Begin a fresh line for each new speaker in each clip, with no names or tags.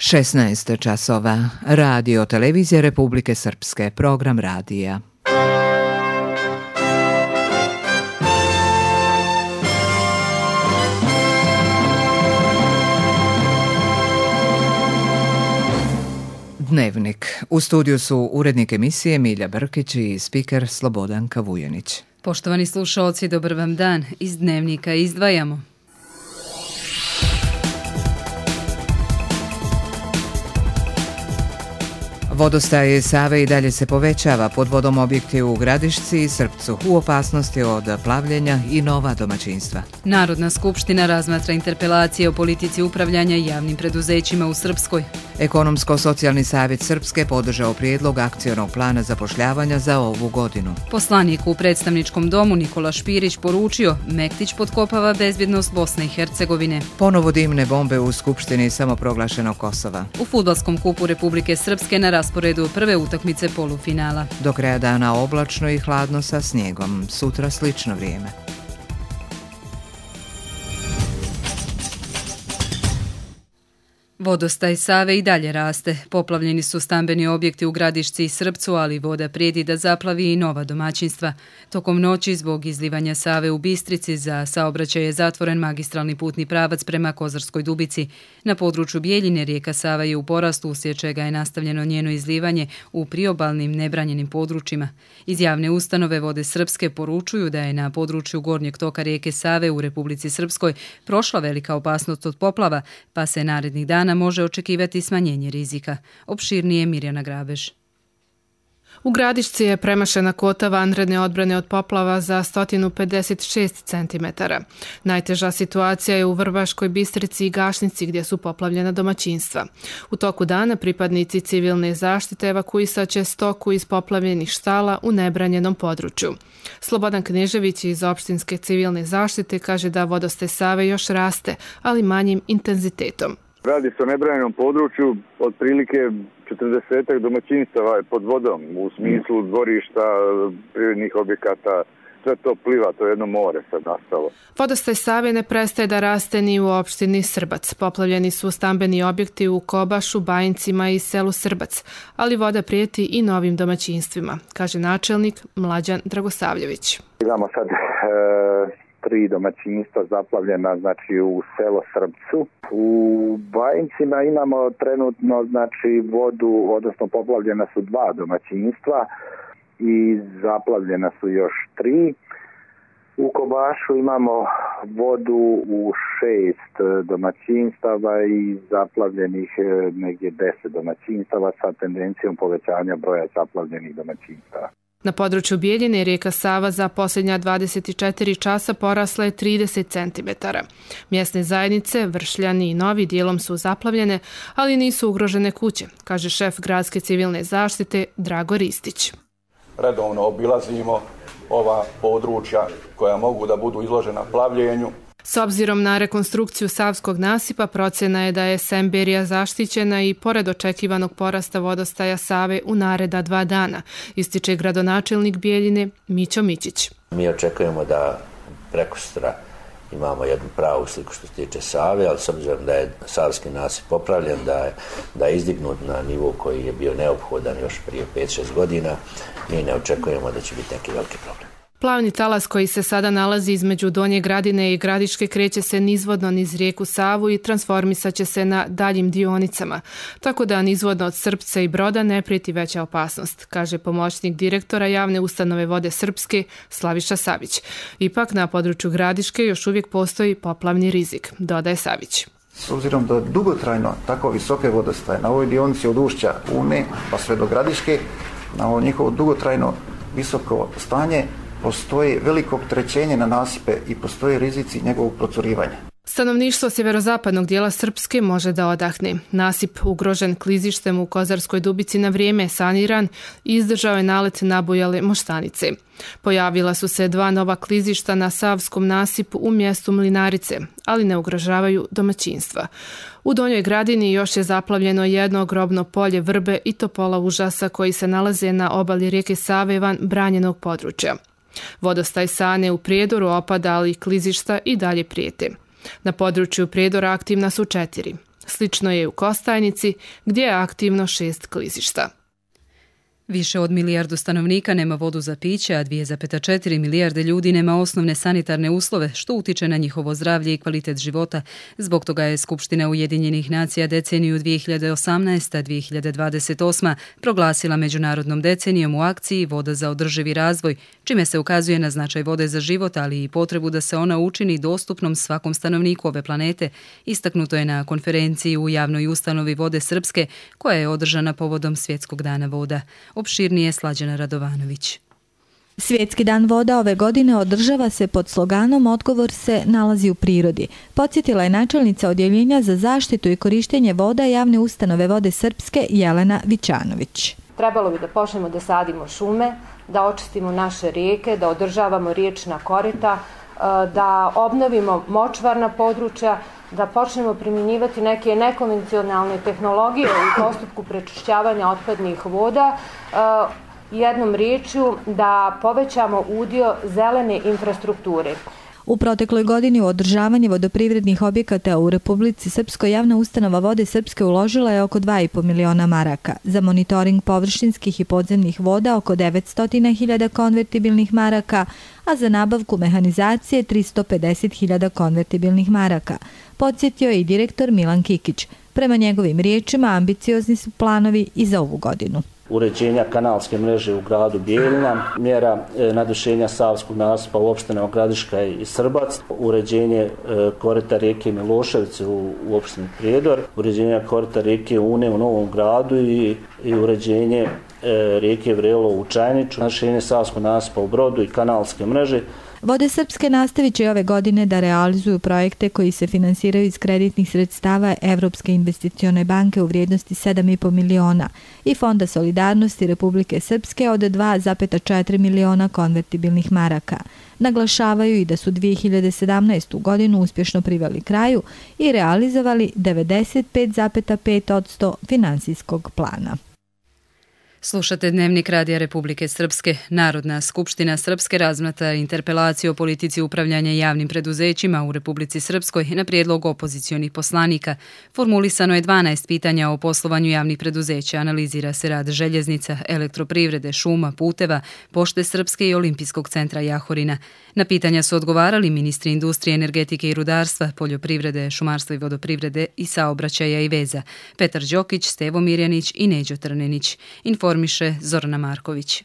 16 časova. Radio televizije Republike Srpske. Program radija. Dnevnik. U studiju su urednik emisije Milja Brkić i spiker Slobodanka Vujanić.
Poštovani slušalci, dobar vam dan. Iz Dnevnika izdvajamo.
Vodostaj Save i dalje se povećava, pod vodom objekti u Gradišci i Srpcu, u opasnosti od plavljenja i nova domaćinstva.
Narodna skupština razmatra interpelacije o politici upravljanja javnim preduzećima u Srpskoj.
Ekonomsko-socijalni savjet Srpske podržao prijedlog akcionog plana zapošljavanja za ovu godinu.
Poslanik u predstavničkom domu Nikola Špirić poručio, Mektić potkopava bezbjednost Bosne i Hercegovine.
Ponovo dimne bombe u Skupštini samoproglašenog Kosova.
U fudbalskom kupu Republike Srpske na rasporedu prve utakmice polufinala.
Do kraja dana oblačno i hladno sa snijegom. Sutra slično vrijeme.
Vodostaj Save i dalje raste. Poplavljeni su stambeni objekti u Gradišci i Srpcu, ali voda prijeti da zaplavi i nova domaćinstva. Tokom noći, zbog izlivanja Save u Bistrici, za saobraćaj je zatvoren magistralni putni pravac prema Kozarskoj Dubici. Na području Bijeljine rijeka Sava je u porastu, uslijed čega je nastavljeno njeno izlivanje u priobalnim nebranjenim područjima. Iz javne ustanove Vode Srpske poručuju da je na području gornjeg toka rijeke Save u Republici Srpskoj prošla velika opasnost od poplava, pa se narednih dana može očekivati smanjenje rizika. Opširnije Mirjana Grabež.
U Gradišci je premašena kvota vanredne odbrane od poplava za 156 cm. Najteža situacija je u Vrbaškoj Bistrici i Gašnici gdje su poplavljena domaćinstva. U toku dana pripadnici civilne zaštite evakuisaće stoku iz poplavljenih štala u nebranjenom području. Slobodan Knežević iz opštinske civilne zaštite kaže da vodostaj Save još raste, ali manjim intenzitetom.
Radi se o nebranjenom području, otprilike 40 domaćinstava je pod vodom u smislu dvorišta, privrednih objekata, sve to pliva, to je jedno more sad nastalo.
Vodostaj Save ne prestaje da raste ni u opštini Srbac. Poplavljeni su stambeni objekti u Kobašu, Bajincima i selu Srbac, ali voda prijeti i novim domaćinstvima, kaže načelnik Mlađan Dragosavljević.
Imamo sad 3 domaćinstva zaplavljena, znači u selo Srpcu. U Bajincima imamo trenutno znači vodu, odnosno poplavljena su 2 domaćinstva i zaplavljena su još 3. U Kobašu imamo vodu u 6 domaćinstava i zaplavljenih negdje 10 domaćinstava sa tendencijom povećanja broja zaplavljenih domaćinstava.
Na području Bijeljine rijeka Sava za posljednja 24 časa porasla je 30 cm. Mjesne zajednice, Vršljani i Novi dijelom su zaplavljene, ali nisu ugrožene kuće, kaže šef gradske civilne zaštite Drago Ristić.
Redovno obilazimo ova područja koja mogu da budu izložena plavljenju.
S obzirom na rekonstrukciju Savskog nasipa, procjena je da je Semberija zaštićena i pored očekivanog porasta vodostaja Save u nareda 2 dana, ističe gradonačelnik Bijeljine Mićo Mićić.
Mi očekujemo da prekosutra imamo jednu pravu sliku što se tiče Save, ali s obzirom da je Savski nasip popravljen, da je izdignut na nivo koji je bio neophodan još prije 5-6 godina, mi ne očekujemo da će biti neki veliki problem.
Plavni talas koji se sada nalazi između Donje Gradine i Gradiške kreće se nizvodno niz rijeku Savu i transformisaće se na daljim dionicama, tako da nizvodno od Srpca i Broda ne prijeti veća opasnost, kaže pomoćnik direktora javne ustanove Vode Srpske Slaviša Savić. Ipak na području Gradiške još uvijek postoji poplavni rizik, dodaje Savić.
S obzirom da dugotrajno tako visoke vodostaje na ovoj dionici od ušća Une pa sve do Gradiške, na ovo njihovo dugotrajno visoko stanje, postoji veliko opterećenje na nasipe i postoje rizici njegovog procurivanja.
Stanovništvo sjeverozapadnog dijela Srpske može da odahne. Nasip ugrožen klizištem u Kozarskoj Dubici na vrijeme saniran i izdržao je nalet nabujale moštanice. Pojavila su se 2 nova klizišta na Savskom nasipu u mjestu Mlinarice, ali ne ugrožavaju domaćinstva. U Donjoj Gradini još je zaplavljeno jedno grobno polje vrbe i topola užasa koji se nalaze na obali rijeke Save van branjenog područja. Vodostaj Sane u Prijedoru opada, ali klizišta i dalje prijete. Na području Prijedora aktivna su 4. Slično je u Kostajnici, gdje je aktivno 6 klizišta.
Više od milijardu stanovnika nema vodu za piće, a 2,4 milijarde ljudi nema osnovne sanitarne uslove, što utiče na njihovo zdravlje i kvalitet života. Zbog toga je Skupština Ujedinjenih nacija deceniju 2018-2028 proglasila međunarodnom decenijom u akciji Voda za održivi razvoj, čime se ukazuje na značaj vode za život, ali i potrebu da se ona učini dostupnom svakom stanovniku ove planete. Istaknuto je na konferenciji u javnoj ustanovi Vode Srpske, koja je održana povodom Svjetskog dana voda. Opširnije Slađana Radovanović.
Svjetski dan voda ove godine održava se pod sloganom Odgovor se nalazi u prirodi. Podsjetila je načelnica Odjeljenja za zaštitu i korištenje voda javne ustanove Vode Srpske Jelena Vićanović.
Trebalo bi da počnemo da sadimo šume, da očistimo naše rijeke, da održavamo riječna korita, da obnovimo močvarna područja, da počnemo primjenjivati neke nekonvencionalne tehnologije u postupku prečišćavanja otpadnih voda, jednom riječju da povećamo udio zelene infrastrukture.
U protekloj godini u održavanje vodoprivrednih objekata u Republici Srpskoj javna ustanova Vode Srpske uložila je oko 2,5 miliona maraka. Za monitoring površinskih i podzemnih voda oko 900.000 konvertibilnih maraka, a za nabavku mehanizacije 350.000 konvertibilnih maraka. Podsjetio je i direktor Milan Kikić. Prema njegovim riječima ambiciozni su planovi i za ovu godinu.
Uređenja kanalske mreže u gradu Bijeljina, mjera nadušenja savskog nasipa u opštinama Gradiška i Srbac, uređenje korita rijeke Miloševice u opštini Prijedor, uređenje korita rijeke Une u Novom Gradu i uređenje rijeke Vrelo u Čajniču, nadušenje savskog nasipa u Brodu i kanalske mreže.
Vode Srpske nastavit će ove godine da realizuju projekte koji se finansiraju iz kreditnih sredstava Evropske investicione banke u vrijednosti 7,5 miliona i Fonda solidarnosti Republike Srpske od 2,4 miliona konvertibilnih maraka. Naglašavaju i da su 2017. godinu uspješno priveli kraju i realizovali 95,5% finansijskog plana.
Slušate Dnevnik Radija Republike Srpske. Narodna skupština Srpske razmatra interpelaciju o politici upravljanja javnim preduzećima u Republici Srpskoj na prijedlog opozicionih poslanika. Formulisano je 12 pitanja o poslovanju javnih preduzeća. Analizira se rad željeznica, elektroprivrede, šuma, puteva, Pošte Srpske i Olimpijskog centra Jahorina. Na pitanja su odgovarali ministri industrije, energetike i rudarstva, poljoprivrede, šumarstva i vodoprivrede i saobraćaja i veza. Petar Đokić, Stevo Mirjanić i Neđo Trnenić. Informiše Zorana Marković.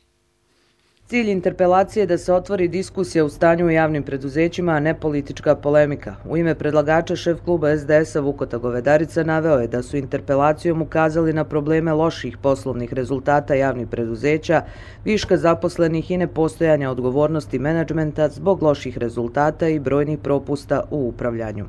Cilj interpelacije je da se otvori diskusija u stanju u javnim preduzećima, a ne politička polemika. U ime predlagača šef kluba SDS-a Vukota Govedarica naveo je da su interpelacijom ukazali na probleme loših poslovnih rezultata javnih preduzeća, viška zaposlenih i nepostojanja odgovornosti menadžmenta zbog loših rezultata i brojnih propusta u upravljanju.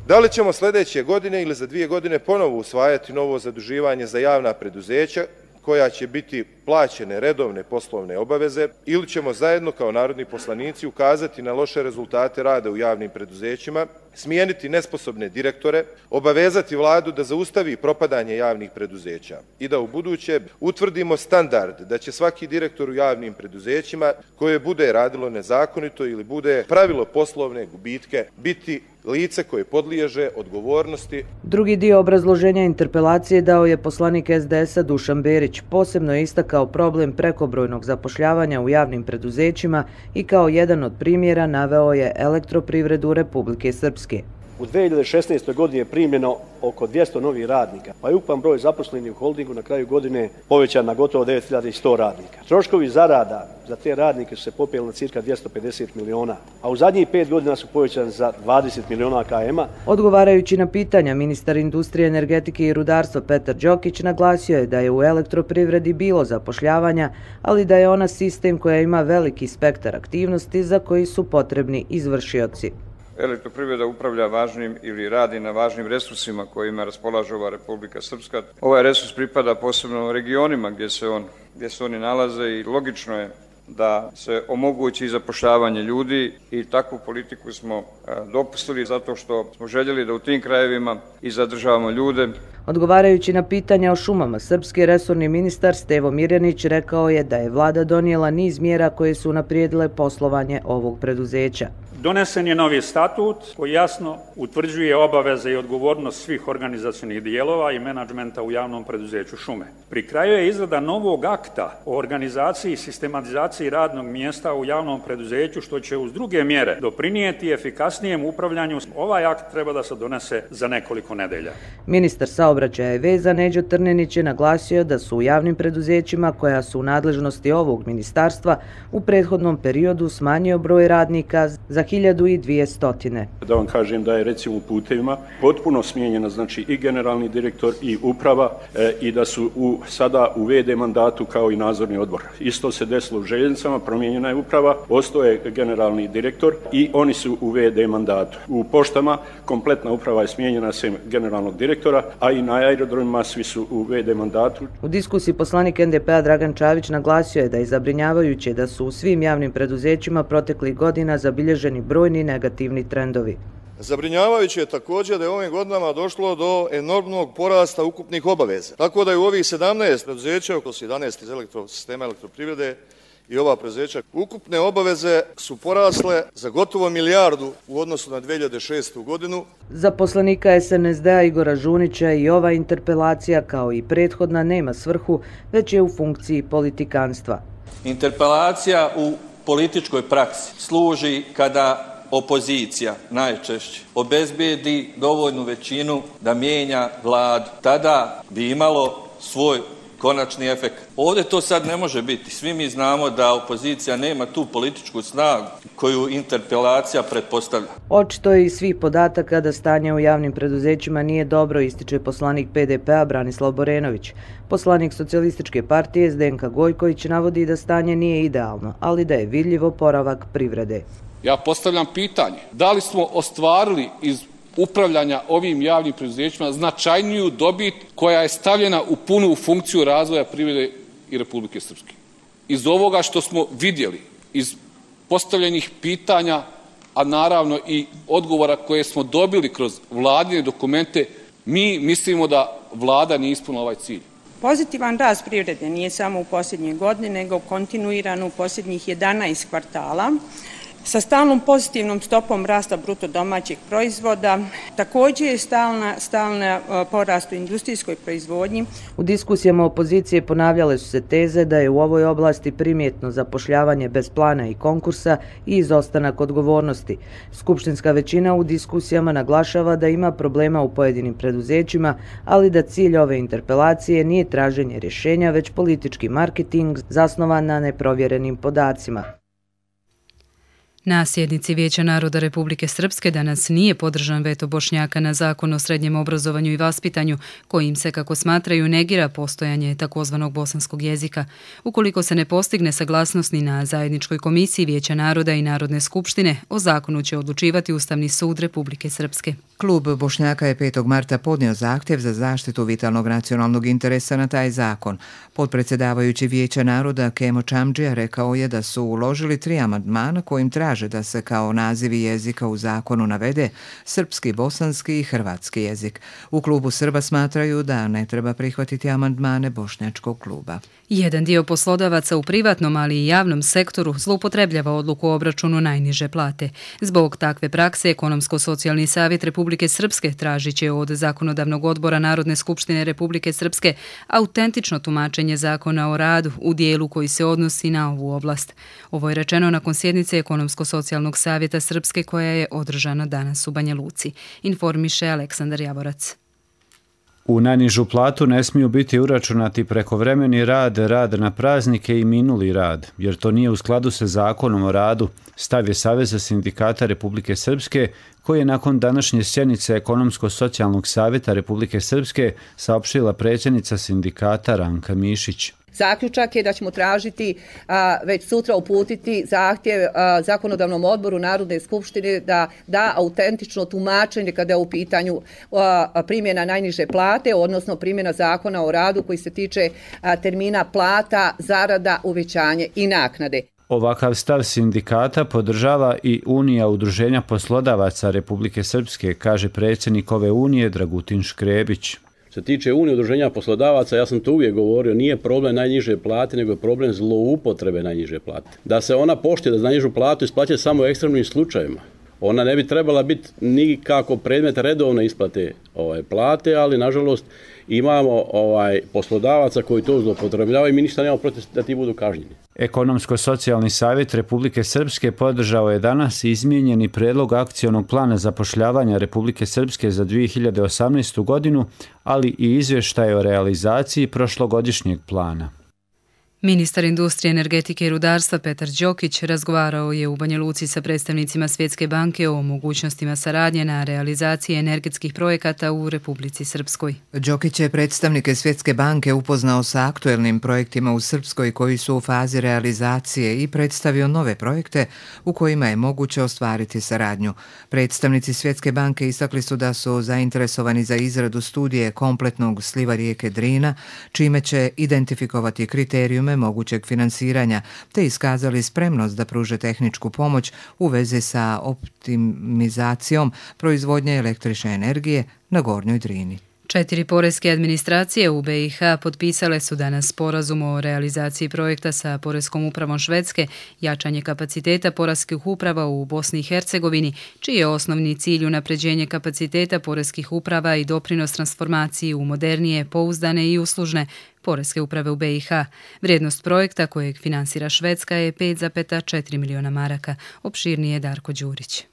Da li ćemo sljedeće godine ili za 2 godine ponovo usvajati novo zaduživanje za javna preduzeća koja će biti plaćene redovne poslovne obaveze ili ćemo zajedno kao narodni poslanici ukazati na loše rezultate rada u javnim preduzećima, smijeniti nesposobne direktore, obavezati vladu da zaustavi propadanje javnih preduzeća i da u buduće utvrdimo standard da će svaki direktor u javnim preduzećima koje bude radilo nezakonito ili bude pravilo poslovne gubitke biti lice koje podliježe odgovornosti.
Drugi dio obrazloženja interpelacije dao je poslanik SDS-a Dušan Berić. Posebno je istakao problem prekobrojnog zapošljavanja u javnim preduzećima i kao jedan od primjera naveo je elektroprivredu Republike Srpske.
U 2016. godini je primljeno oko 200 novih radnika, pa je ukupan broj zaposlenih u holdingu na kraju godine povećan na gotovo 9100 radnika. Troškovi zarada za te radnike su se popeli na cirka 250 miliona, a u zadnjih 5 godina su povećani za 20 miliona KM-a.
Odgovarajući na pitanja, ministar industrije, energetike i rudarstva Petar Đokić naglasio je da je u elektroprivredi bilo zapošljavanja, ali da je ona sistem koja ima veliki spektar aktivnosti za koji su potrebni izvršioci.
Elektroprivreda upravlja važnim ili radi na važnim resursima kojima raspolaže ova Republika Srpska. Ovaj resurs pripada posebno regionima gdje se oni nalaze i logično je da se omogući zapošljavanje ljudi i takvu politiku smo dopustili zato što smo željeli da u tim krajevima i zadržavamo ljude.
Odgovarajući na pitanja o šumama, srpski resorni ministar Stevo Mirjanić rekao je da je vlada donijela niz mjera koje su unaprijedile poslovanje ovog preduzeća.
Donesen je novi statut koji jasno utvrđuje obaveze i odgovornost svih organizacionih dijelova i menadžmenta u javnom preduzeću šume. Pri kraju je izrada novog akta o organizaciji i sistematizaciji radnog mjesta u javnom preduzeću, što će uz druge mjere doprinijeti efikasnijem upravljanju. Ovaj akt treba da se donese za nekoliko nedelja.
Ministar saobraćaja i veza Neđo Trnenić je naglasio da su u javnim preduzećima koja su u nadležnosti ovog ministarstva u prethodnom periodu smanjio broj radnika za 1200.
Da vam kažem da je recimo u putevima potpuno smijenjena znači i generalni direktor i uprava i da su sada u VD mandatu kao i nadzorni odbor. Isto se desilo u željeznicama, promijenjena je uprava, ostao je generalni direktor i oni su u VD mandatu. U poštama kompletna uprava je smijenjena sem generalnog direktora, a i na aerodromima svi su u VD mandatu.
U diskusiji poslanik NDP-a Dragan Čavić naglasio je da je zabrinjavajuće da su u svim javnim preduzećima proteklih godina zabilježeni brojni negativni trendovi.
Zabrinjavajuće je također da je ovim godinama došlo do enormnog porasta ukupnih obaveza. Tako da je u ovih 17 preduzeća, oko 11 iz sistema elektroprivrede i ova preduzeća, ukupne obaveze su porasle za gotovo milijardu u odnosu na 2006. godinu.
Za poslanika SNSD-a Igora Žunića i ova interpelacija kao i prethodna nema svrhu, već je u funkciji politikanstva.
Interpelacija u političkoj praksi služi kada opozicija najčešće obezbijedi dovoljnu većinu da mijenja vladu. Tada bi imalo svoj konačni efekt. Ovdje to sad ne može biti. Svi mi znamo da opozicija nema tu političku snagu koju interpelacija pretpostavlja.
Očito je iz svih podataka da stanje u javnim preduzećima nije dobro, ističe poslanik PDP-a Branislav Borenović. Poslanik Socijalističke partije Zdenka Gojković navodi da stanje nije idealno, ali da je vidljiv oporavak privrede.
Ja postavljam pitanje, da li smo ostvarili iz upravljanja ovim javnim preduzećima značajniju dobit koja je stavljena u punu funkciju razvoja privrede i Republike Srpske. Iz ovoga što smo vidjeli, iz postavljenih pitanja, a naravno i odgovora koje smo dobili kroz vladine dokumente, mi mislimo da vlada nije ispunila ovaj cilj.
Pozitivan rast privrede nije samo u posljednje godine, nego kontinuiran u posljednjih 11 kvartala, sa stalnom pozitivnom stopom rasta bruto domaćeg proizvoda. Također je stalna porast u industrijskoj proizvodnji.
U diskusijama opozicije ponavljale su se teze da je u ovoj oblasti primjetno zapošljavanje bez plana i konkursa i izostanak odgovornosti. Skupštinska većina u diskusijama naglašava da ima problema u pojedinim preduzećima, ali da cilj ove interpelacije nije traženje rješenja, već politički marketing zasnovan na neprovjerenim podacima.
Na sjednici Vijeća naroda Republike Srpske danas nije podržan veto Bošnjaka na zakon o srednjem obrazovanju i vaspitanju, kojim se, kako smatraju, negira postojanje takozvanog bosanskog jezika. Ukoliko se ne postigne saglasnost ni na zajedničkoj komisiji Vijeća naroda i Narodne skupštine, o zakonu će odlučivati Ustavni sud Republike Srpske.
Klub Bošnjaka je 5. marta podnio zahtjev za zaštitu vitalnog nacionalnog interesa na taj zakon. Potpredsjedavajući Vijeća naroda Kemo Čamdžija rekao je da su uložili 3 amandmana kojim traže da se kao nazivi jezika u zakonu navede srpski, bosanski i hrvatski jezik. U klubu Srba smatraju da ne treba prihvatiti amandmane Bošnjačkog kluba.
Jedan dio poslodavaca u privatnom, ali i javnom sektoru zloupotrebljava odluku o obračunu najniže plate. Zbog takve prakse, Ekonomsko-socijalni savjet Republike Srpske tražit će od Zakonodavnog odbora Narodne skupštine Republike Srpske autentično tumačenje zakona o radu u dijelu koji se odnosi na ovu oblast. Ovo je rečeno nakon sjednice Ekonomsko-socijalnog savjeta Srpske koja je održana danas u Banja Luci. Informiše Aleksandar Javorac.
U najnižu platu ne smiju biti uračunati prekovremeni rad, rad na praznike i minuli rad, jer to nije u skladu sa zakonom o radu, stav je Saveza sindikata Republike Srpske, koji je nakon današnje sjednice Ekonomsko-socijalnog savjeta Republike Srpske saopštila predsjednica sindikata Ranka Mišić.
Zaključak je da ćemo tražiti već sutra uputiti zahtjev Zakonodavnom odboru Narodne skupštine da da autentično tumačenje kada je u pitanju primjena najniže plate, odnosno primjena zakona o radu koji se tiče termina plata, zarada, uvećanje i naknade.
Ovakav stav sindikata podržava i Unija udruženja poslodavaca Republike Srpske, kaže predsjednik ove unije Dragutin Škrebić.
Se tiče Unije udruženja poslodavaca, ja sam to uvijek govorio, nije problem najniže plate, nego je problem zloupotrebe najniže plate. Da se ona poštuje, da za najnižu platu isplaćuje samo u ekstremnim slučajevima. Ona ne bi trebala biti nikako predmet redovne isplate plate, ali nažalost imamo poslodavaca koji to zloupotrebljavaju i mi ništa nemamo protiv da ti budu kažnjeni.
Ekonomsko-socijalni savjet Republike Srpske podržao je danas izmijenjeni predlog akcionog plana zapošljavanja Republike Srpske za 2018. godinu, ali i izvještaj o realizaciji prošlogodišnjeg plana.
Ministar industrije, energetike i rudarstva Petar Đokić razgovarao je u Banja Luci sa predstavnicima Svjetske banke o mogućnostima saradnje na realizaciji energetskih projekata u Republici Srpskoj.
Đokić je predstavnike Svjetske banke upoznao sa aktuelnim projektima u Srpskoj koji su u fazi realizacije i predstavio nove projekte u kojima je moguće ostvariti saradnju. Predstavnici Svjetske banke istakli su da su zainteresovani za izradu studije kompletnog sliva rijeke Drina, čime će identifikovati kriterijume mogućeg finansiranja, te iskazali spremnost da pruže tehničku pomoć u vezi sa optimizacijom proizvodnje električne energije na Gornjoj Drini.
4 poreske administracije u BiH potpisale su danas sporazum o realizaciji projekta sa Poreskom upravom Švedske, jačanje kapaciteta poreskih uprava u Bosni i Hercegovini, čiji je osnovni cilj unapređenje kapaciteta poreskih uprava i doprinos transformaciji u modernije, pouzdane i uslužne poreske uprave u BiH. Vrijednost projekta kojeg finansira Švedska je 5,4 miliona maraka. Opširnije Darko Đurić.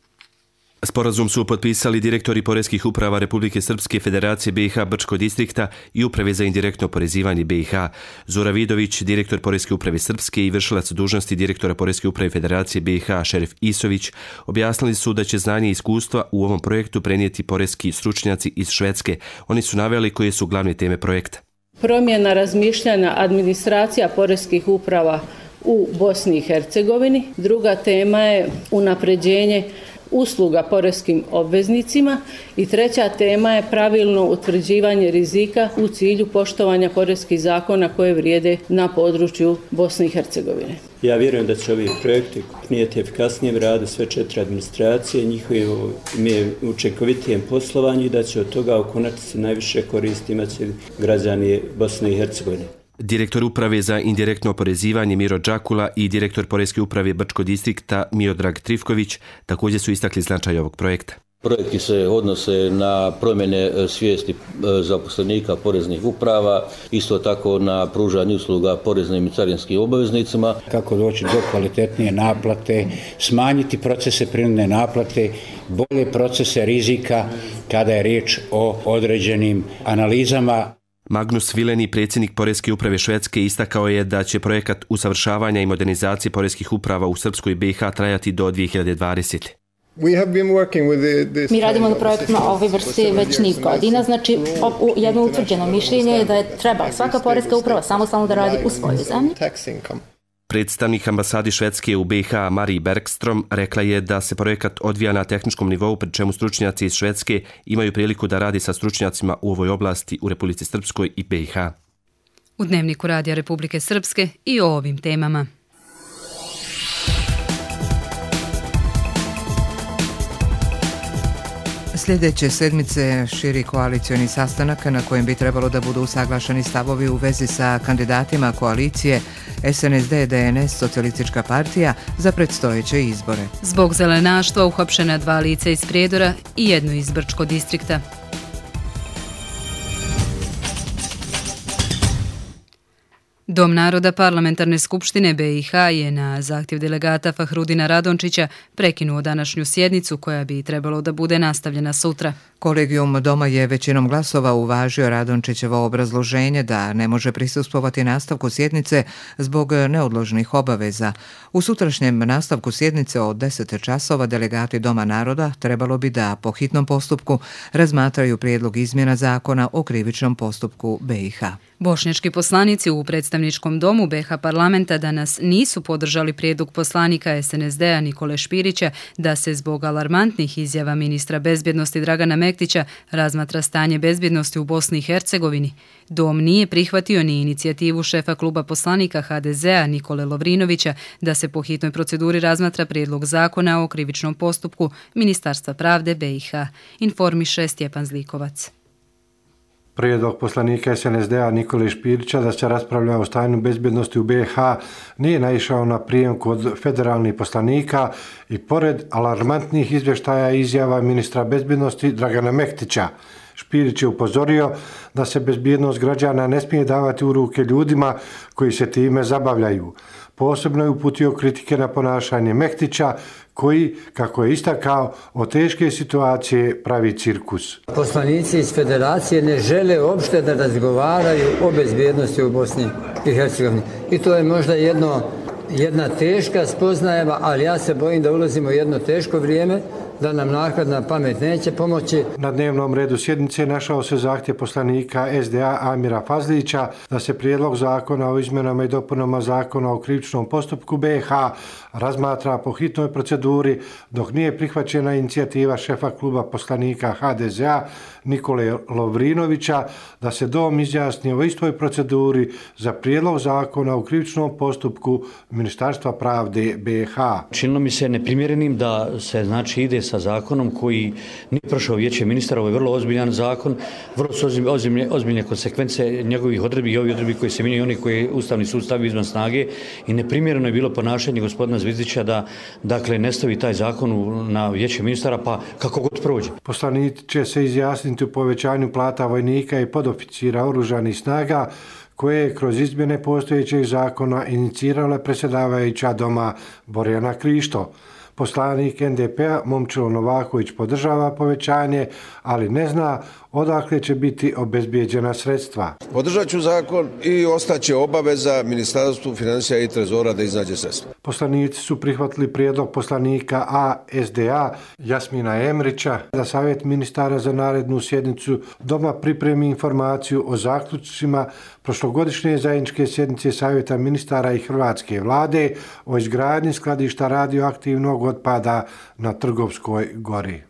Sporazum su potpisali direktori poreskih uprava Republike Srpske, Federacije BiH Brčko distrikta i Uprave za indirektno oporezivanje BiH. Zora Vidović, direktor Poreske uprave Srpske i vršilac dužnosti direktora Poreske uprave Federacije BiH Šerif Isović objasnili su da će znanje i iskustva u ovom projektu prenijeti poreski stručnjaci iz Švedske. Oni su naveli koje su glavne teme projekta.
Promjena razmišljanja administracija poreskih uprava u Bosni i Hercegovini. Druga tema je unapređenje usluga poreskim obveznicima i treća tema je pravilno utvrđivanje rizika u cilju poštovanja poreskih zakona koje vrijede na području Bosne i Hercegovine.
Ja vjerujem da će ovi projekti prinijeti efikasnijem radu sve 4 administracije, njihovim učinkovitijem poslovanju i da će od toga u konačnici najviše koristi imati građani Bosne i Hercegovine.
Direktor uprave za indirektno oporezivanje Miro Đakula i direktor Poreske uprave Brčko distrikta Miodrag Trifković također su istakli značaj ovog projekta.
Projekti se odnose na promjene svijesti zaposlenika poreznih uprava, isto tako na pružanje usluga poreznim i carinskim obaveznicima.
Kako doći do kvalitetnije naplate, smanjiti procese prinudne naplate, bolje procese rizika kada je riječ o određenim analizama.
Magnus Vileni, predsjednik Poreske uprave Švedske, istakao je da će projekat usavršavanja i modernizacije poreskih uprava u Srpskoj BiH trajati do 2020.
Mi radimo na projektima ove vrste već niz godina, znači jedno utvrđeno mišljenje je da treba svaka poreska uprava samostalno da radi u svojoj zemlji.
Predstavnik ambasadi Švedske u BiH Marie Bergstrom rekla je da se projekat odvija na tehničkom nivou, pri čemu stručnjaci iz Švedske imaju priliku da radi sa stručnjacima u ovoj oblasti u Republici Srpskoj i BiH.
U Dnevniku Radija Republike Srpske i o ovim temama.
Sljedeće sedmice širi koalicioni sastanak na kojem bi trebalo da budu usaglašeni stavovi u vezi sa kandidatima koalicije SNSD, DNS, Socijalistička partija za predstojeće izbore.
Zbog zelenaštva uhapšena 2 lica iz Prijedora i 1 iz Brčko distrikta. Dom naroda Parlamentarne skupštine BiH je na zahtjev delegata Fahrudina Radončića prekinuo današnju sjednicu koja bi trebalo da bude nastavljena sutra.
Kolegijum Doma je većinom glasova uvažio Radončićevo obrazloženje da ne može prisustvovati nastavku sjednice zbog neodložnih obaveza. U sutrašnjem nastavku sjednice od 10 časova delegati Doma naroda trebalo bi da po hitnom postupku razmatraju prijedlog izmjena zakona o krivičnom postupku BiH.
Bošnjački poslanici u predstavničkom domu BiH parlamenta danas nisu podržali prijedlog poslanika SNSD-a Nikole Špirića da se zbog alarmantnih izjava ministra bezbjednosti Dragana Mektića razmatra stanje bezbjednosti u Bosni i Hercegovini. Dom nije prihvatio ni inicijativu šefa kluba poslanika HDZ-a Nikole Lovrinovića da se po hitnoj proceduri razmatra prijedlog zakona o krivičnom postupku Ministarstva pravde BiH, informiše Stjepan Zlikovac.
Prijedlog poslanika SNSD-a Nikole Špirića da se raspravlja o stanju bezbjednosti u BiH nije naišao na prijem kod federalnih poslanika i pored alarmantnih izvještaja i izjava ministra bezbjednosti Dragana Mehtića. Špirić je upozorio da se bezbjednost građana ne smije davati u ruke ljudima koji se time zabavljaju. Posebno je uputio kritike na ponašanje Mehtića koji, kako je istakao, od teške situacije pravi cirkus.
Poslanici iz federacije ne žele uopšte da razgovaraju o bezbjednosti u Bosni i Hercegovini. I to je možda jedna teška spoznaja, ali ja se bojim da ulazimo u jedno teško vrijeme, da nam naknadna pamet neće pomoći.
Na dnevnom redu sjednice našao se zahtjev poslanika SDA Amira Fazlića da se prijedlog zakona o izmjenama i dopunama zakona o krivičnom postupku BiH razmatra po hitnoj proceduri, dok nije prihvaćena inicijativa šefa kluba poslanika HDZ-a Nikole Lovrinovića da se dom izjasni o istoj proceduri za prijedlog zakona o krivičnom postupku Ministarstva pravde BiH.
Činilo mi se neprimjerenim da se ide sa zakonom koji nije prošao vijeće ministara. Ovo je vrlo ozbiljan zakon, vrlo su ozbiljne konsekvence njegovih odredbi i ovi odredbi koji se mijenjaju, oni koji Ustavni sud stavi izvan snage, i neprimjereno je bilo ponašanje gospodina Zvizdića da ne stavi taj zakon na vijeće ministara, pa kako god prođe.
Poslanici će se izjasniti u povećanju plata vojnika i podoficira oružanih snaga koje je kroz izmjene postojećeg zakona inicirala predsjedavajuća doma Borjana Krišto. Poslanik NDP-a Momčilo Novaković podržava povećanje, ali ne zna odakle će biti obezbijeđena sredstva.
Podržat ću zakon i ostaće obaveza Ministarstvu financija i trezora da iznađe sredstva.
Poslanici su prihvatili prijedlog poslanika ASDA Jasmina Emrića da Savjet ministara za narednu sjednicu doma pripremi informaciju o zaključcima prošlogodišnje zajedničke sjednice Savjeta ministara i Hrvatske vlade o izgradnji skladišta radioaktivnog otpada na Trgovskoj gori.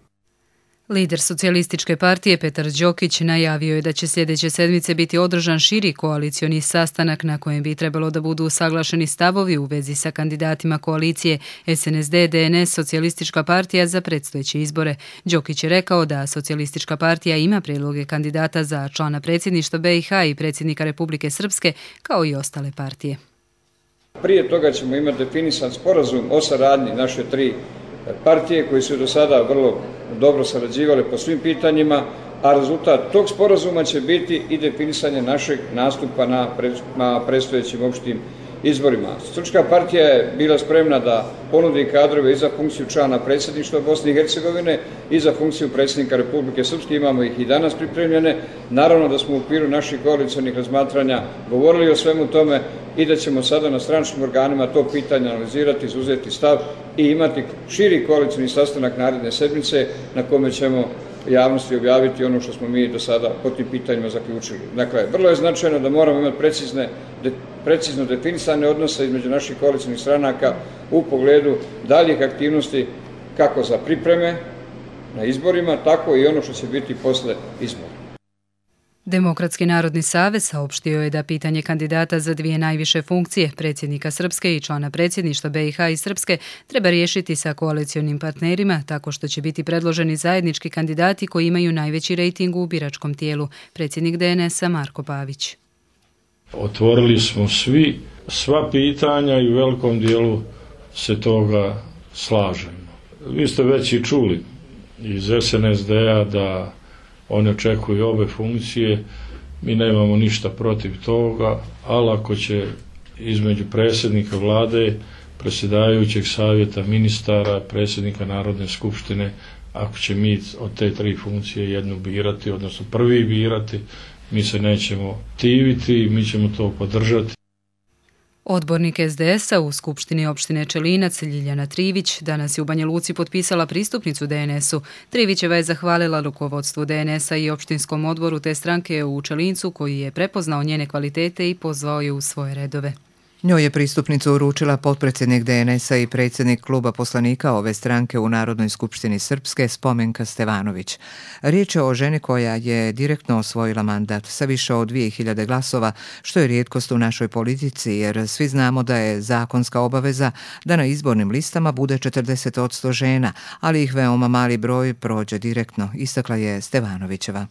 Lider socijalističke partije Petar Đokić najavio je da će sljedeće sedmice biti održan širi koalicioni sastanak na kojem bi trebalo da budu usaglašeni stavovi u vezi sa kandidatima koalicije SNSD, DNS, Socijalistička partija za predstojeće izbore. Đokić je rekao da Socijalistička partija ima prijedloge kandidata za člana predsjedništva BiH i predsjednika Republike Srpske, kao i ostale partije.
Prije toga ćemo imati definisan sporazum o saradnji naše tri partije koji su do sada vrlo dobro sarađivale po svim pitanjima, a rezultat tog sporazuma će biti i definisanje našeg nastupa na predstojećim opštim izborima. Socijalistička partija je bila spremna da ponudi kadrove i za funkciju člana predsjedništva Bosne i Hercegovine i za funkciju predsjednika Republike Srpske, imamo ih i danas pripremljene. Naravno da smo u okviru naših koalicionih razmatranja govorili o svemu tome i da ćemo sada na stranačkim organima to pitanje analizirati, izuzeti stav i imati širi koalicioni sastanak naredne sedmice na kome ćemo javnosti objaviti ono što smo mi do sada po tim pitanjima zaključili. Dakle, vrlo je značajno da moramo imati precizno definisane odnose između naših koalicionih stranaka u pogledu daljih aktivnosti kako za pripreme na izborima, tako i ono što će biti posle izbora.
Demokratski narodni savez saopštio je da pitanje kandidata za dvije najviše funkcije, predsjednika Srpske i člana predsjedništva BiH i Srpske, treba riješiti sa koalicionim partnerima tako što će biti predloženi zajednički kandidati koji imaju najveći rejting u biračkom tijelu, predsjednik DNS-a Marko Pavić.
Otvorili smo sva pitanja i u velikom dijelu se toga slažemo. Vi ste već i čuli iz SNSD-a da oni očekuju obe funkcije, mi nemamo ništa protiv toga, ali ako će između predsjednika vlade, predsjedavajućeg savjeta ministara, predsjednika Narodne skupštine, ako će mi od te tri funkcije jednu birati, odnosno prvi birati, mi se nećemo tiviti, mi ćemo to podržati.
Odbornik SDS-a u Skupštini opštine Čelinac Ljiljana Trivić danas je u Banja Luci potpisala pristupnicu DNS-u. Trivićeva je zahvalila rukovodstvu DNS-a i opštinskom odboru te stranke u Čelincu koji je prepoznao njene kvalitete i pozvao je u svoje redove.
Njoj je pristupnicu uručila potpredsjednik DNS-a i predsjednik kluba poslanika ove stranke u Narodnoj skupštini Srpske Spomenka Stevanović. Riječ je o ženi koja je direktno osvojila mandat sa više od 2000 glasova, što je rijetkost u našoj politici jer svi znamo da je zakonska obaveza da na izbornim listama bude 40% žena, ali ih veoma mali broj prođe direktno, istakla je Stevanovićeva.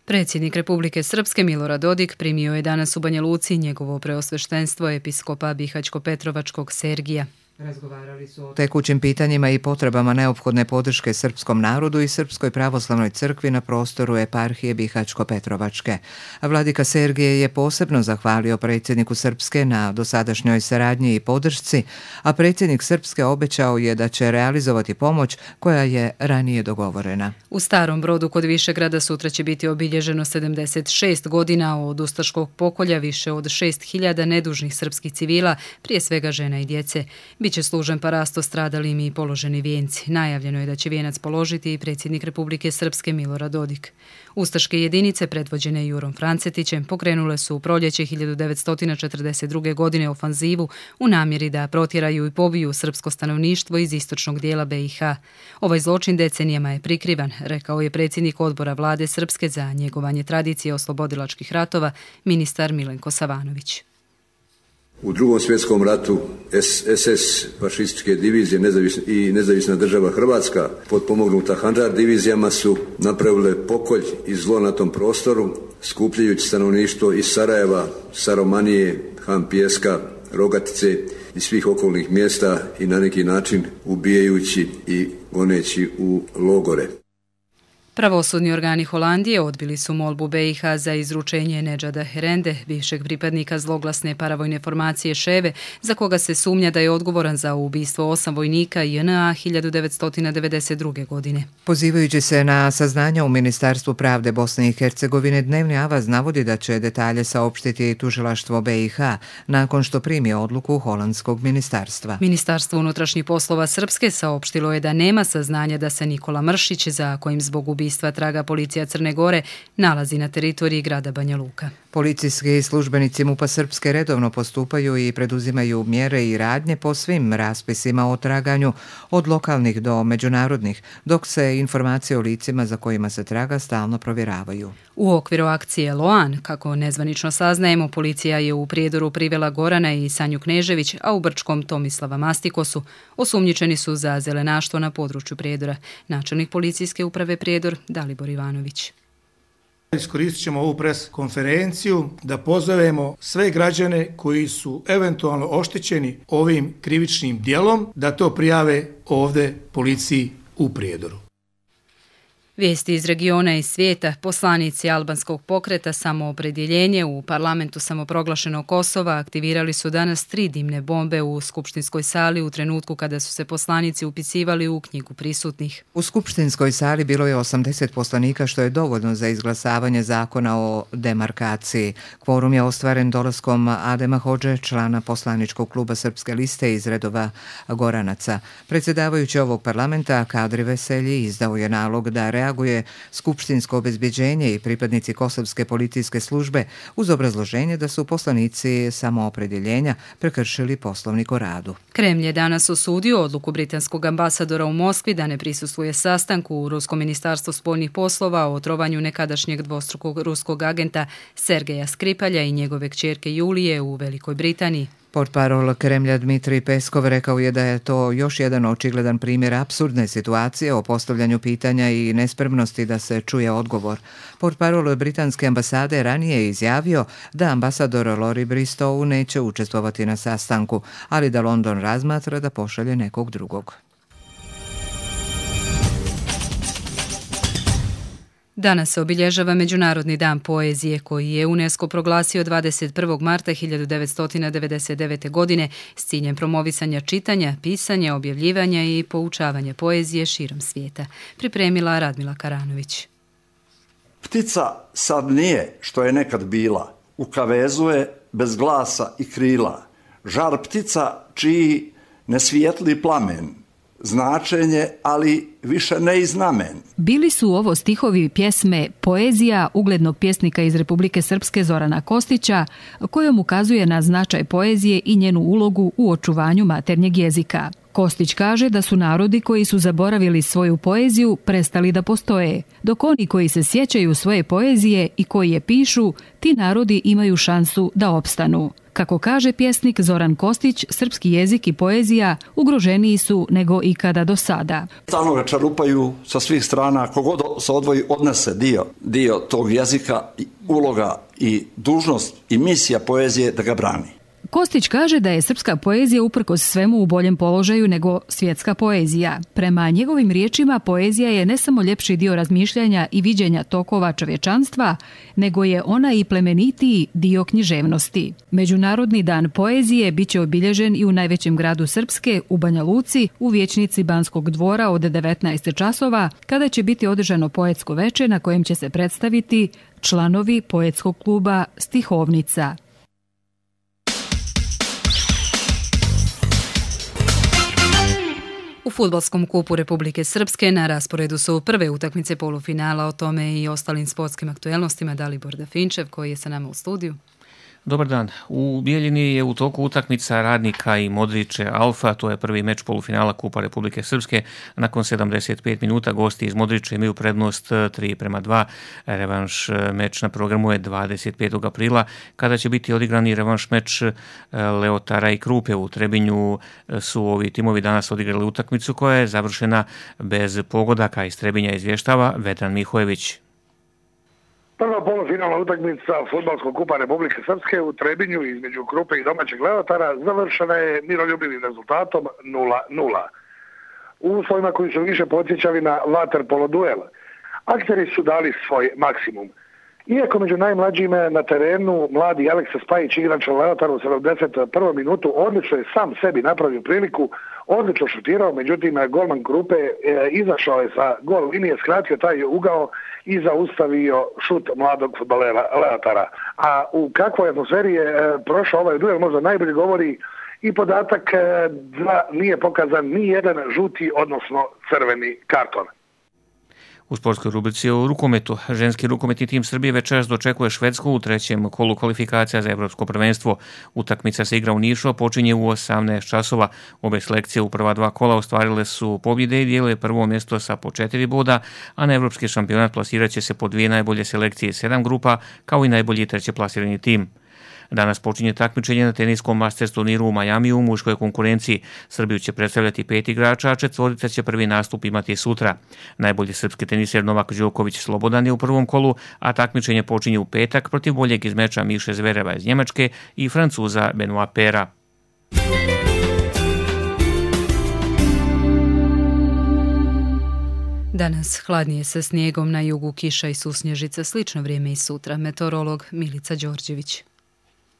Predsjednik Republike Srpske Milorad Dodik primio je danas u Banja Luci njegovo preosveštenstvo episkopa Bihaćko-Petrovačkog Sergija. Razgovarali su o tekućim pitanjima i potrebama neophodne podrške srpskom narodu i Srpskoj pravoslavnoj crkvi na prostoru eparhije Bihaćko-Petrovačke. Vladika Sergije je posebno zahvalio predsjedniku Srpske na dosadašnjoj saradnji i podršci, a predsjednik Srpske obećao je da će realizovati pomoć koja je ranije dogovorena. U Starom Brodu kod Višegrada sutra će biti obilježeno 76 godina od ustaškog pokolja više od 6.000 nedužnih srpskih civila, prije svega žena i djece. Biće služen parasto stradalim i položeni vijenci. Najavljeno je da će vijenac položiti i predsjednik Republike Srpske Milorad Dodik. Ustaške jedinice predvođene Jurom Francetićem pokrenule su u proljeće 1942. godine ofanzivu u namjeri da protjeraju i pobiju srpsko stanovništvo iz istočnog dijela BiH. Ovaj zločin decenijama je prikrivan, rekao je predsjednik odbora vlade Srpske za njegovanje tradicije oslobodilačkih ratova, ministar Milenko Savanović.
U Drugom svjetskom ratu SS fašističke divizije i nezavisna država Hrvatska potpomognuta Handžar divizijama su napravile pokolj i zlo na tom prostoru, skupljajući stanovništvo iz Sarajeva, Saromanije, Han Pijeska, Rogatice i svih okolnih mjesta i na neki način ubijajući i goneći u logore.
Pravosudni organi Holandije odbili su molbu BiH za izručenje Nedžada Herende, bivšeg pripadnika zloglasne paravojne formacije Ševe, za koga se sumnja da je odgovoran za ubistvo 8 vojnika JNA 1992. godine. Pozivajući se na saznanja u Ministarstvu pravde Bosne i Hercegovine, Dnevni avaz navodi da će detalje saopštiti tužilaštvo BiH nakon što primi odluku holandskog ministarstva. Ministarstvo unutrašnjih poslova Srpske saopštilo je da nema saznanja da se Nikola Mršić, za kojim zbog ubistva traga policija Crne Gore, nalazi na teritoriji grada Banja Luka. Policijski službenici MUP-a Srpske redovno postupaju i preduzimaju mjere i radnje po svim raspisima o traganju, od lokalnih do međunarodnih, dok se informacije o licima za kojima se traga stalno provjeravaju. U okviru akcije Loan, kako nezvanično saznajemo, policija je u Prijedoru privela Gorana i Sanju Knežević, a u Brčkom Tomislava Mastikosu. Osumnjičeni su za zelenaštvo na području Prijedora. Načelnik policijske uprave Prijedor Dalibor Ivanović.
Iskoristit ćemo ovu pres konferenciju da pozovemo sve građane koji su eventualno oštećeni ovim krivičnim djelom da to prijave ovdje policiji u Prijedoru.
Vijesti iz regiona i svijeta. Poslanici albanskog pokreta Samoopredjeljenje u parlamentu samoproglašenog Kosova aktivirali su danas 3 dimne bombe u skupštinskoj sali u trenutku kada su se poslanici upisivali u knjigu prisutnih. U skupštinskoj sali bilo je 80 poslanika, što je dovoljno za izglasavanje zakona o demarkaciji. Kvorum je ostvaren dolaskom Adema Hodže, člana poslaničkog kluba Srpske liste iz redova Goranaca. Predsjedavajući ovog parlamenta Kadri Veselji izdao je nalog da reaguje skupštinsko obezbeđenje i pripadnici kosovske policijske službe uz obrazloženje da su poslanici Samoopredjeljenja prekršili poslovnik o radu. Kremlj je danas osudio odluku britanskog ambasadora u Moskvi da ne prisustvuje sastanku u Ruskom ministarstvu spoljnih poslova o otrovanju nekadašnjeg dvostrukog ruskog agenta Sergeja Skripalja i njegove kćerke Julije u Velikoj Britaniji. Portparol Kremlja Dmitrij Peskov rekao je da je to još jedan očigledan primjer apsurdne situacije o postavljanju pitanja i nespremnosti da se čuje odgovor. Portparol britanske ambasade ranije je izjavio da ambasador Lori Bristow neće učestvovati na sastanku, ali da London razmatra da pošalje nekog drugog. Danas se obilježava Međunarodni dan poezije koji je UNESCO proglasio 21. marta 1999. godine s ciljem promovisanja čitanja, pisanja, objavljivanja i poučavanja poezije širom svijeta. Pripremila Radmila Karanović.
Ptica sad nije što je nekad bila, u kavezu je bez glasa i krila. Žar ptica čiji ne svijetli plamen, značenje, ali više ne i znamen.
Bili su ovo stihovi pjesme Poezija uglednog pjesnika iz Republike Srpske Zorana Kostića, kojom ukazuje na značaj poezije i njenu ulogu u očuvanju maternjeg jezika. Kostić kaže da su narodi koji su zaboravili svoju poeziju prestali da postoje, dok oni koji se sjećaju svoje poezije i koji je pišu, ti narodi imaju šansu da opstanu. Kako kaže pjesnik Zoran Kostić, srpski jezik i poezija ugroženiji su nego ikada do sada.
Stalno ga čarupaju sa svih strana, kogod se odvoji odnese dio tog jezika, uloga i dužnost i misija poezije da ga brani.
Kostić kaže da je srpska poezija uprkos svemu u boljem položaju nego svjetska poezija. Prema njegovim riječima, poezija je ne samo ljepši dio razmišljanja i viđenja tokova čovječanstva, nego je ona i plemenitiji dio književnosti. Međunarodni dan poezije biće obilježen i u najvećem gradu Srpske, u Banja Luci, u vijećnici Banskog dvora od 19 časova, kada će biti održano poetsko veče na kojem će se predstaviti članovi poetskog kluba Stihovnica.
U fudbalskom kupu Republike Srpske na rasporedu su prve utakmice polufinala, o tome i ostalim sportskim aktuelnostima Dalibor Dafinčev koji je sa nama u studiju.
Dobar dan. U Bijeljini je u toku utakmica Radnika i Modriće Alfa, to je prvi meč polufinala Kupa Republike Srpske. Nakon 75 minuta gosti iz Modrića imaju prednost 3:2. Revanš meč na programu je 25. aprila, kada će biti odigrani revanš meč Leotara i Krupe. U Trebinju su ovi timovi danas odigrali utakmicu koja je završena bez pogodaka. Iz Trebinja izvještava Vedran Mihojević.
Prva polufinalna utakmica Fudbalskog kupa Republike Srpske u Trebinju između Krupe i domaćeg Leotara završena je miroljubivim rezultatom 0:0. U uslovima koji su više podsjećali na vaterpolo duel. Akteri su dali svoj maksimum. Iako među najmlađim na terenu mladi Aleksa Spajić, igrač Leotaru u 71. minutu, odlično je sam sebi napravio priliku, odlično šutirao, međutim golman Krupe izašao je sa gol linije, skratio taj ugao i zaustavio šut mladog fudbalera Leotara. A u kakvoj atmosferi je prošao ovaj duel možda najbolje govori i podatak da nije pokazan ni jedan žuti, odnosno crveni karton.
U sportskoj rubrici o rukometu, ženski rukometni tim Srbije večeras dočekuje Švedsku u trećem kolu kvalifikacija za evropsko prvenstvo. Utakmica se igra u Nišu, a počinje u 18 časova. Obe selekcije u prva dva kola ostvarile su pobjede i dijele prvo mjesto sa po 4 boda, a na evropski šampionat plasirat će se po 2 najbolje selekcije 7 grupa, kao i najbolji treće plasirani tim. Danas počinje takmičenje na teniskom Masters turniru u Majamiju u muškoj konkurenciji. Srbiju će predstavljati 5 igrača, a 4 će prvi nastup imati sutra. Najbolji srpski teniser Novak Đoković slobodan je u prvom kolu, a takmičenje počinje u petak protiv boljeg iz meča Miše Zvereva iz Njemačke i Francuza Benoit Paire.
Danas hladnije sa snijegom, na jugu kiša i susnježica, slično vrijeme i sutra. Meteorolog Milica Đorđević.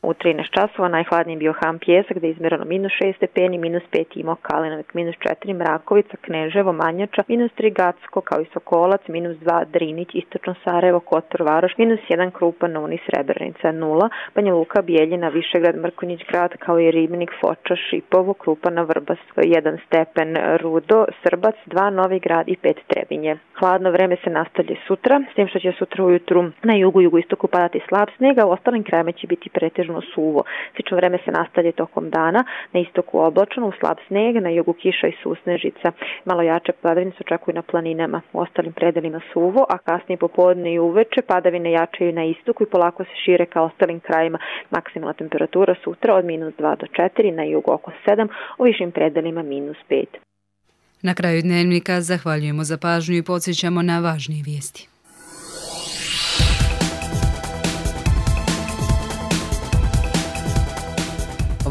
U 13 časova najhladniji bio Ham Pjesak, gdje je izmjereno -6 stepeni, -5 Imao Kalinovik, -4 Mrakovica, Kneževo, Manjača, -3 Gacko, kao i Sokolac, -2 Drinić, Istočno Sarajevo, Kotor, Varoš, -1 Krupa, Nuni, Srebrenica, 0, Banja Luka, Bijeljina, Višegrad, Mrkonjić Grad, kao i Ribnik, Foča, Šipovo, Krupana, Vrbas, 1 stepen Rudo, Srbac, 2 Novi Grad i 5 Trebinje. Hladno vreme se nastavlja sutra, s tim što će sutra ujutru na jugu i jugoistoku padati slab snijeg, a u ostalim krajevima će biti pretežno suvo. Slično vreme se nastavlja tokom dana, na istoku oblačno, u slab snijeg, na jugu kiša i susnežica. Malo jače padavine se očekuju na planinama, u ostalim predelima suvo, a kasnije popodne i uveče padavine jačaju na istoku i polako se šire ka ostalim krajima. Maksimalna temperatura sutra od -2 do 4, na jugu oko 7, u višim predelima -5.
Na kraju dnevnika zahvaljujemo za pažnju i podsjećamo na važnije vijesti.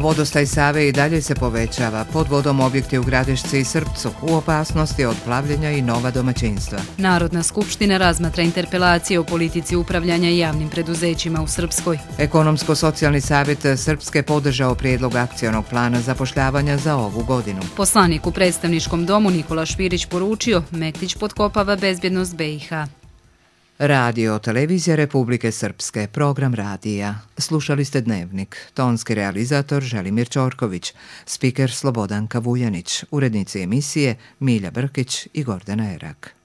Vodostaj Save i dalje se povećava. Pod vodom objekti u Gradišci i Srpcu, u opasnosti od plavljenja i nova domaćinstva.
Narodna skupština razmatra interpelacije o politici upravljanja javnim preduzećima u Srpskoj.
Ekonomsko-socijalni savjet Srpske podržao prijedlog akcionog plana zapošljavanja za ovu godinu.
Poslanik u predstavničkom domu Nikola Špirić poručio, Mektić potkopava bezbjednost BiH.
Radio Televizija Republike Srpske, program radija. Slušali ste Dnevnik. Tonski realizator Želimir Ćorković, spiker Slobodanka Vujanić, urednici emisije Milja Brkić i Gordana Erak.